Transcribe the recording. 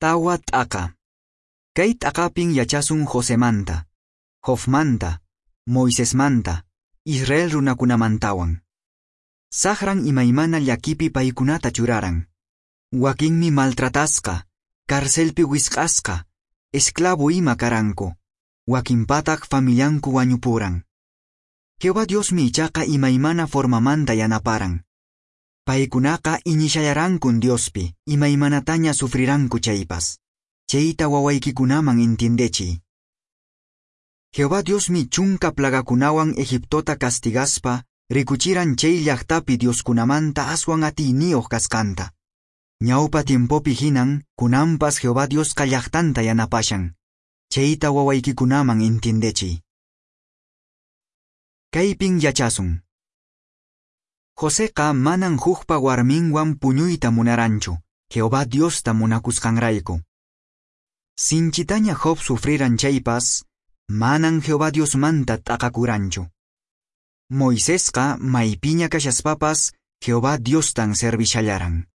Tawa t'aqa. Kay t'aqapin yachasun Josemanta, Jobmanta, Moisesmanta, Israel runakunamantawan. Saqran imaymana llakipi paykunata churaran. Wakinmi maltratasqa, carcelpi wisq'asqa, esclavo ima karanku. Wakinpataq familianku wañupuran. Jehová Diosmi ichaqa imaymana formamanta yanaparan. Paykunaqa iñishallarankun Diospi, imaymanataña sufriranku chaypas. Chayta wawaykikunaman entiendechiy. Jehová Diosmi chunka plagakunawan Egiptota castigaspa, rikuchiran chay llaqtapi dioskunamanta aswan atiyniyuq kasqanta. Ñawpa tiempopi hinan, kunanpas Jehová Diosqa llaqtanta yanapashan. Chayta wawaykikunaman entiendechiy. Kaypin yachasun. Joseqa manan hukpa warminwan puñuyta munaranchu, Jehová Diosta munakusqanrayku. Sinchitaña Job sufriran chaypas, manan Jehová Diosmanta t'aqakuranchu. Moisesqa maypiña kashaspapas Jehová Diostan servishallaran.